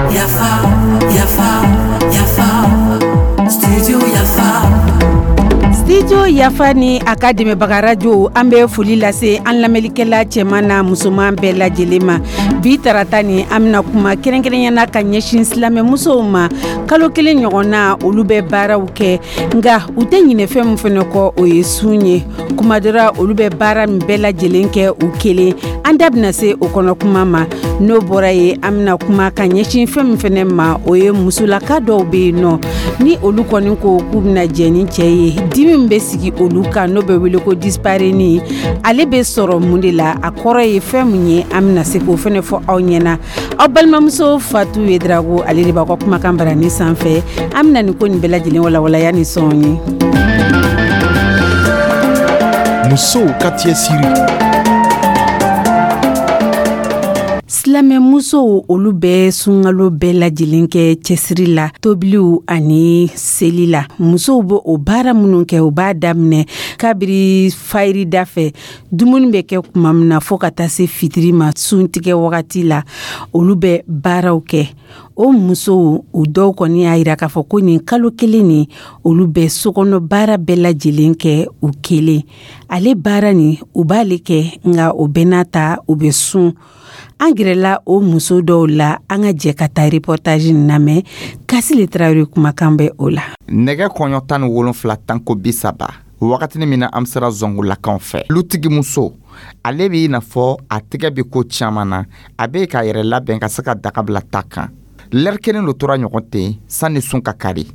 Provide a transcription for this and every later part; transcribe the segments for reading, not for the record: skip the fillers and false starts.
Yafa, yafa, yafa, Studio Yafa. Studio Yafa ni a ka dɛmɛbaga radio, an bɛ foli lase an lamɛnlikɛla cɛman n'a musoman bɛɛ lajɛlen ma. Bi tarata ni, an bɛna kuma kɛrɛnkɛrɛnyana ka ɲɛsin silamɛmusow ma. Kalo 1 ɲɔgɔn na, olu bɛ baaraw kɛ, nka u tɛ ɲinɛ fɛn min fana kɔ, o ye sun ye. Kuma dɔ la, olu bɛ baara min bɛɛ lajɛlen kɛ u kelen, an da bɛna se o kɔnɔ kuma ma. N'o bɔra ye, an bɛna kuma ka ɲɛsin fɛn min fana ma, o ye musolaka dɔw bɛ yen nɔ, ni olu kɔni ko k'u bɛna jɛ ni cɛ ye, dimi min bɛ sigi olu kan, n'o bɛ wele ko dyspareunie, ale bɛ sɔrɔ mun de la, a kɔrɔ ye fɛn mun ye, an bɛna se k'o fana fɔ aw ɲɛna. Aw balimamuso Fatu Yedrago, ale de b'aw ka kumakan barani sanfɛ. An bɛna nin ko nin bɛɛ lajɛlen walawalaya ni sɔn ye. Musow ka cɛsiri. Silamɛmusow, olu bɛ sunkalo bɛɛ lajɛlen kɛ cɛsiri la, tobiliw ani seli la. Musow bɛ o baara minnu kɛ, u b'a daminɛ kabiri fayirida fɛ, dumuni bɛ kɛ tuma min na, fo ka taa se fitiri ma, suntigɛ wagati la, olu bɛ baaraw kɛ. O musow, u dɔw kɔni y'a yira k'a fɔ ko nin kalo 1 nin, olu bɛ sokɔnɔ baara bɛɛ lajɛlen kɛ u kelen. Ale baara nin, u b'ale kɛ, nka o bɛɛ n'a ta, u bɛ sun. An gɛrɛla o muso dɔw la. An ka jɛ ka taa reportage nin lamɛn. Kasile Tarawele kumakan bɛ o la. Nɛgɛ kɔɲɔ 17 tanko 30, wagatini min na an sera zɔngulakaw fɛ, lutigimuso, ale b'i n'a fɔ a tɛgɛ bɛ ko caman na, a bɛ k'a yɛrɛ labɛn ka se ka daga bila ta kan. Lɛri 1 lo tora ɲɔgɔn ten sanni sun ka kari.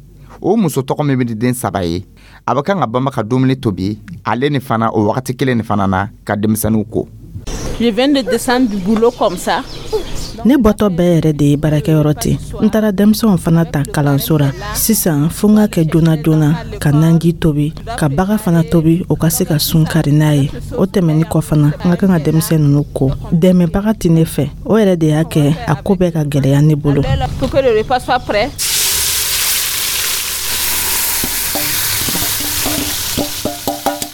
O muso tɔgɔ min bɛ di den 3 ye, a bɛ kan ka banba ka dumuni tobi, ale ni fana o wagati kelen ni fana na ka denmisɛnninw ko. Je viens de descendre du boulot comme ça. Ne bɔtɔ bɛɛ yɛrɛ de ye baarakɛyɔrɔ ten. N taara denmisɛnw fana ta kalanso ra. Sisan fo n ka kɛ joona joona ka nanji tobi, ka baga fana tobi, o ka se ka sun kari n'a ye. O tɛmɛni kɔ fana, n ka kan ka denmisɛn ninnu ko. Dɛmɛbaga tɛ ne fɛ, o yɛrɛ de y'a kɛ a ko bɛɛ ka gɛlɛya ne bolo. Pour que le repas soit prêt.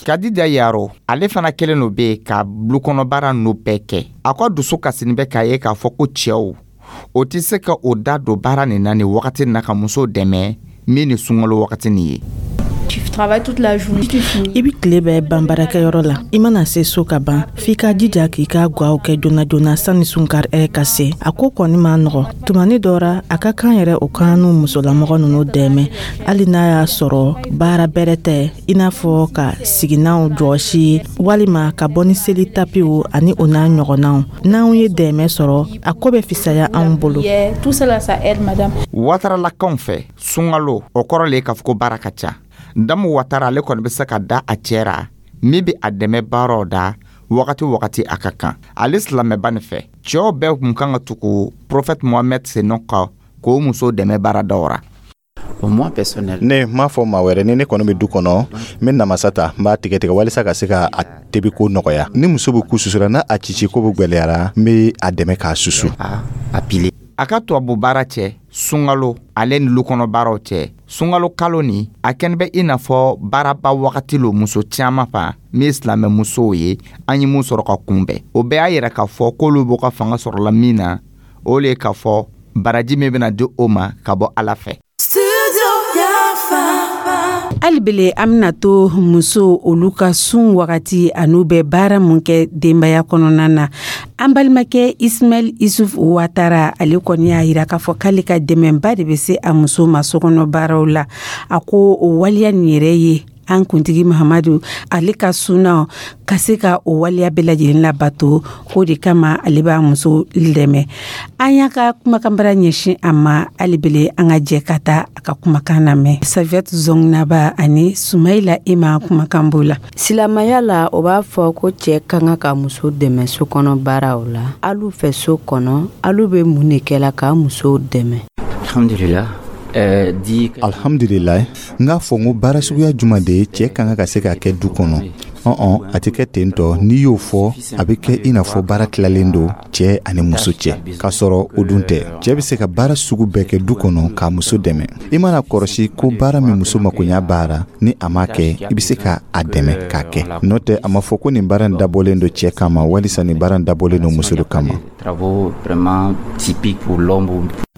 Kadija Yaro, ale fana kelen lo bɛ yen ka bulukɔnɔbaara ninnu bɛɛ kɛ. A ka dusu kasini bɛ k'a ye k'a fɔ ko cɛw o tɛ se ka o da don baara nin na nin wagati nin na ka muso dɛmɛ min ni sunkalo wagati nin ye. I bɛ tile bɛɛ ban baarakɛyɔrɔ la, i mana se so ka ban, f'i ka jija k'i ka gwaw kɛ joona joona sanni sunkari ɛrɛ ka se. A ko kɔni ma nɔgɔ tumani dɔ ra, a ka kan yɛrɛ o kan n'u musolamɔgɔ ninnu dɛmɛ, hali n'a y'a sɔrɔ baara bɛrɛ tɛ, i n'a fɔ ka siginanw jɔsi walima ka bɔ ni seli tapiw ani o n'a ɲɔgɔnnaw. N'anw ye dɛmɛ sɔrɔ, a ko bɛ fisaya anw bolo. Wataralakaw fɛ, sunkalo o kɔrɔ le ye k'a fɔ ko baara ka ca. Damu Watara, ale kɔni bɛ se ka da a cɛ ra min bɛ a dɛmɛ baaraw da wagati wagati a ka kan. Ale silamɛba nin fɛ, cɛw bɛɛ kun kan ka tugu prophète Mohamed senɔ kɔ k'o muso dɛmɛ baaradaw ra. Ne m'a fɔ maa wɛrɛ, ni ne kɔni bɛ du kɔnɔ, n bɛ namasa ta, n b'a tigɛ tigɛ walisa ka se ka a tebi ko nɔgɔya. Ni muso bɛ ku susura, n'a a cici ko bɛ gwɛlɛyara, n bɛ a dɛmɛ k'a susu. A ka tubabu baara cɛ, sunkalo ale ni lukɔnɔ baaraw cɛ, sunkalo kalo nin a kɛni bɛ i n'a fɔ baaraba wagati lo muso caman fa min ye silamɛmusow ye. An ye mun sɔrɔ ka kunbɛn, o bɛɛ y'a yira k'a fɔ k'olu b'u ka fanga sɔrɔla min na, o le ye k'a fɔ baraji min bɛna di o ma ka bɔ Ala fɛ. Hali bele, an bɛna to muso olu ka sun wagati an'u bɛ baara mun kɛ denbaya kɔnɔna na. An balimakɛ Ismaɛl Isuf Watara, ale kɔni y'a yira k'a fɔ k'ale ka dɛmɛba de bɛ se a muso ma sokɔnɔ baaraw la. A ko o waleya nin yɛrɛ ye an kuntigi Mahamadu ale ka sunaw ka se ka o waleya bɛɛ lajɛlen labato, o de kama ale b'a muso dɛmɛ. An y'a ka kumakanbara ɲɛsin a ma. Hali bele, an ka jɛ ka taa a ka kumakan lamɛn. Safiatu Zɔngnaba ani Sumayila Ima kumakan b'o la. Silamɛya la, o b'a fɔ ko cɛ ka kan ka muso dɛmɛ so kɔnɔ baaraw la. Alu fɛ so kɔnɔ, alu bɛ mun de kɛla ka musow dɛmɛ? Alhamdulillah. Alhamdulillah, n k'a fɔ n ko baara suguya jumɛn de ye cɛ ka kan ka se ka kɛ du kɔnɔ? Ɔn, a tɛ kɛ ten tɔ. N'i y'o fɔ, a bɛ kɛ i n'a fɔ baara tilalen don cɛ ani muso cɛ, k'a sɔrɔ o dun tɛ. Cɛ bɛ se ka baara sugu bɛɛ kɛ du kɔnɔ k'a muso dɛmɛ. I mana kɔrɔsi ko baara min muso makoɲa baara, ni a m'a kɛ, i bɛ se ka a dɛmɛ k'a kɛ. N'o tɛ, a ma fɔ ko nin baara in dabɔlen don cɛ kama walisa nin baara in dabɔlen don muso de kama.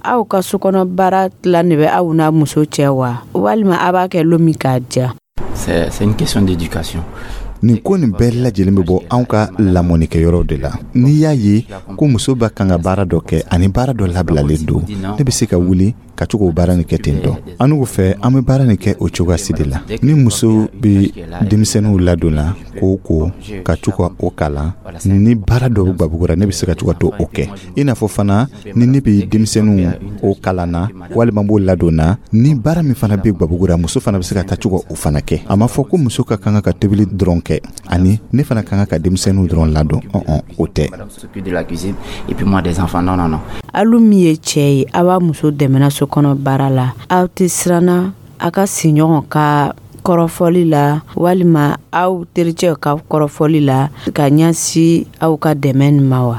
Aw ka sokɔnɔ baara tilan de bɛ aw n'a muso cɛ wa, walima a b'a kɛ lon min k'a diya? C'est une question d'éducation. Nin ko nin bɛɛ lajɛlen bɛ bɔ anw ka lamɔnikɛyɔrɔw de la. N'i y'a ye ko muso bɛ kan ka baara dɔ kɛ ani baara dɔ labilalen don, ne bɛ se ka wuli ka to k'o baara nin kɛ ten tɔ. An n'u fɛ, an bɛ baara nin kɛ o cogoyasi de la. Ni muso bɛ denmisɛnninw ladonna k'o ko ka to ka o kalan, ni baara dɔ bɛ gabugura, ne bɛ se ka to ka to o kɛ. I n'a fɔ fana, ni ne bɛ denmisɛnninw o kalan na walima n b'o ladonna, ni baara min fana bɛ gabugura, muso fana bɛ se ka taa to ka o fana kɛ. A ma fɔ ko muso ka kan ka tobili dɔrɔn kɛ ani ne fana ka kan ka denmisɛnninw dɔrɔn ladon. Ɔn, o tɛ. Alu min ye cɛ ye, aw b'a muso dɛmɛna so kɔnɔ baara la, aw tɛ siranna a ka sigiɲɔgɔn ka kɔrɔfɔli la walima aw tericɛw ka kɔrɔfɔli la ka ɲɛsin aw ka dɛmɛ nin ma wa?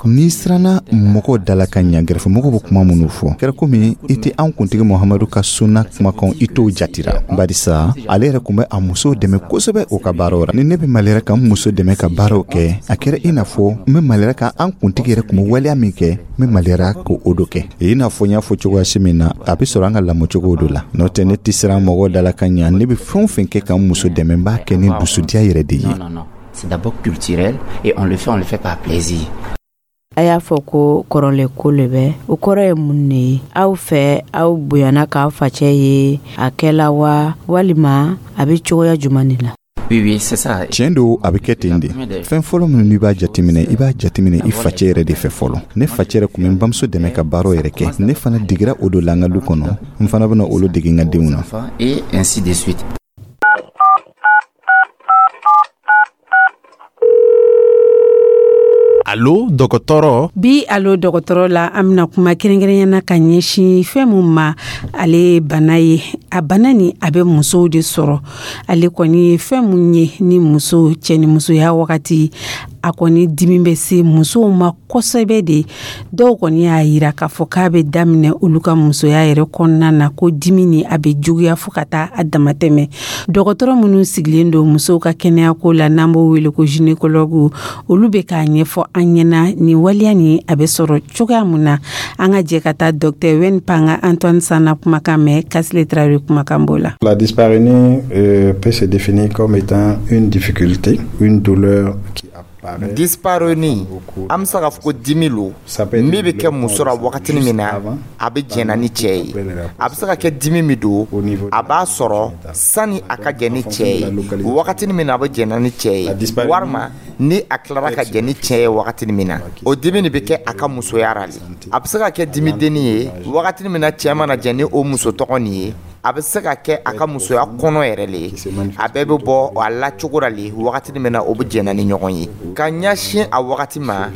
N'i siranna mɔgɔw dala ka ɲa, gɛrɛfɛmɔgɔw bɛ kuma minnu fɔ, kɛra komi i tɛ an kuntigi Muhamadu ka sunna kumakan, i t'o jatira, barisa ale yɛrɛ tun bɛ a muso dɛmɛ kosɛbɛ o ka baaraw ra. Ni ne bɛ maliyara ka n muso dɛmɛ ka baaraw kɛ, a kɛra i n'a fɔ n bɛ maliyara ka an kuntigi yɛrɛ tun bɛ waleya min kɛ, n bɛ maliyara k'o do kɛ. I n'a fɔ n y'a fɔ cogoya si min na, a bɛ sɔrɔ an ka lamɔcogo do la. N'o tɛ, ne tɛ siran mɔgɔw dala ka ɲa. Ne bɛ fɛn o fɛn kɛ ka n muso dɛmɛ, n b'a kɛ ni dusudiya yɛrɛ de ye. C'est d'abord culturel et on le fait par plaisir. A y'a fɔ ko kɔrɔlen ko le bɛ, o kɔrɔ ye mun de ye aw fɛ? Aw bonyana k'aw facɛ ye a kɛla wa, walima a bɛ cogoya jumɛn de la? Oui, oui, c'est ça. Tiɲɛ don, a bɛ kɛ ten de. Fɛn fɔlɔ minnu n'i b'a jateminɛ, i b'a jateminɛ i facɛ yɛrɛ de fɛ fɔlɔ. Ne facɛ yɛrɛ tun bɛ n bamuso dɛmɛ ka baaraw yɛrɛ kɛ. Ne fana digira o don la n ka du kɔnɔ, n fana bɛna olu dege n ka denw na. Et ainsi de suite. Alo dɔgɔtɔrɔ. Bi alo dɔgɔtɔrɔ la, an bɛna kuma kɛrɛnkɛrɛnyana ka ɲɛsin fɛn mun ma. Ale ye bana ye, a bana ni a bɛ musow de sɔrɔ. Ale kɔni ye fɛn mun ye, ni muso cɛ ni musoya wagati, a kɔni dimi bɛ se musow ma kosɛbɛ de. Dɔw kɔni y'a yira k'a fɔ k'a bɛ daminɛ olu ka musoya yɛrɛ kɔnɔna na, ko dimi ni a bɛ juguya fo ka taa a damatɛmɛ. Dɔgɔtɔrɔ minnu sigilen don musow ka kɛnɛyako la, n'an b'o wele ko gynécologue, olu bɛ k'a ɲɛfɔ an ɲɛna nin waleya nin a bɛ sɔrɔ cogoya mun na. An ka jɛ ka taa docteur Wen Panga Antoine Sana kumakan mɛn, Kasile Traoré kumakan b'o la. La dyspareunie peut se définir comme étant une difficulté, une douleur qui Dyspareunie, an bɛ se k'a fɔ ko dimi lo min bɛ kɛ muso la wagatinin min na a bɛ jɛnna ni cɛ ye. A bɛ se ka kɛ dimi min don, a b'a sɔrɔ sani a ka jɛ ni cɛ ye, wagatinin min na a bɛ jɛnna ni cɛ ye, walima ni a tilara ka jɛ ni cɛ ye wagatinin min na, o dimi nin bɛ kɛ a ka musoya ra le. A bɛ se ka kɛ dimidennin ye wagatinin min na cɛ mana jɛ ni o muso tɔgɔ nin ye. A bɛ se ka kɛ a ka musoya kɔnɔ yɛrɛ le. A bɛɛ bɛ bɔ a la cogo la le wagatinin min na o bɛ jɛnna ni ɲɔgɔn ye ka ɲɛsin a wagati ma.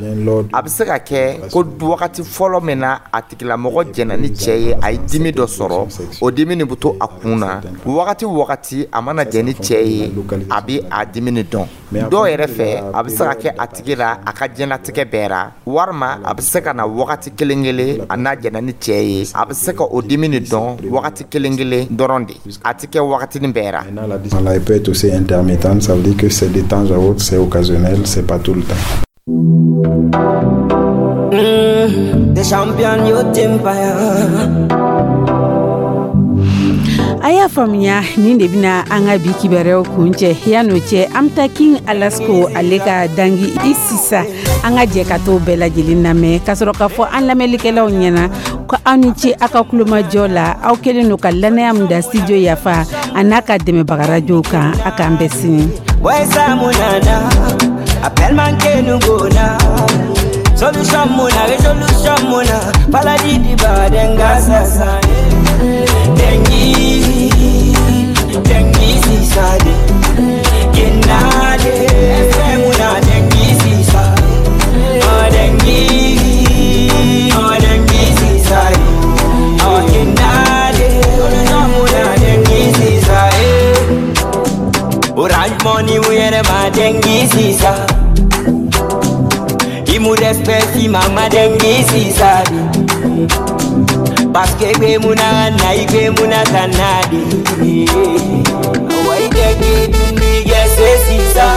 A bɛ se ka kɛ ko wagati fɔlɔ min na a tigilamɔgɔ jɛnna ni cɛ ye, a ye dimi dɔ sɔrɔ, o dimi nin bɛ to a kun na wagati o wagati a mana jɛ ni cɛ ye, a bɛ a dimi nin dɔn. Dɔw yɛrɛ fɛ, a bɛ se ka kɛ a tigi la a ka diɲɛlatigɛ bɛɛ ra, walima a bɛ se ka na wagati kelen kelen a n'a jɛnna ni cɛ ye, a bɛ se ka o dimi nin dɔn wagati kelen kelen dɔrɔn de, a tɛ kɛ wagatinin bɛɛ ra. Elle peut être aussi intermittente, ça veut dire que c'est de temps à autre, c'est occasionnel, c'est pas tout le temps. The champion youth empire. A y'a faamuya, nin de bɛna an ka bi kibaruyaw kun cɛ. Yan'o cɛ, an bɛ taa King Alasko, ale ka dangi i sisa. An ka jɛ ka t'o bɛɛ lajɛlen lamɛn ka sɔrɔ k'a fɔ an lamɛnlikɛlaw ɲɛna ko aw ni ce aw ka kulomajɔ la. Aw kɛlen don ka lanaya min da Studio Yafa a n'a ka dɛmɛbaga rajow kan. A k'an bɛn sini. Boy, Munana, appelle manke nugona. Solution muna, resolution muna. Paladi di badenga sasa. Dengi, dengi sisade. Kinade, muna dengi sisa. Oh dengi, oh dengi sisade. Oh kinade, solution muna dengi sisa. muna dengi sisa. Imu respect si mama dengi sisa. Parce que gbe muna na igbe muna kanadi. Wai dengi dundi gese sisa.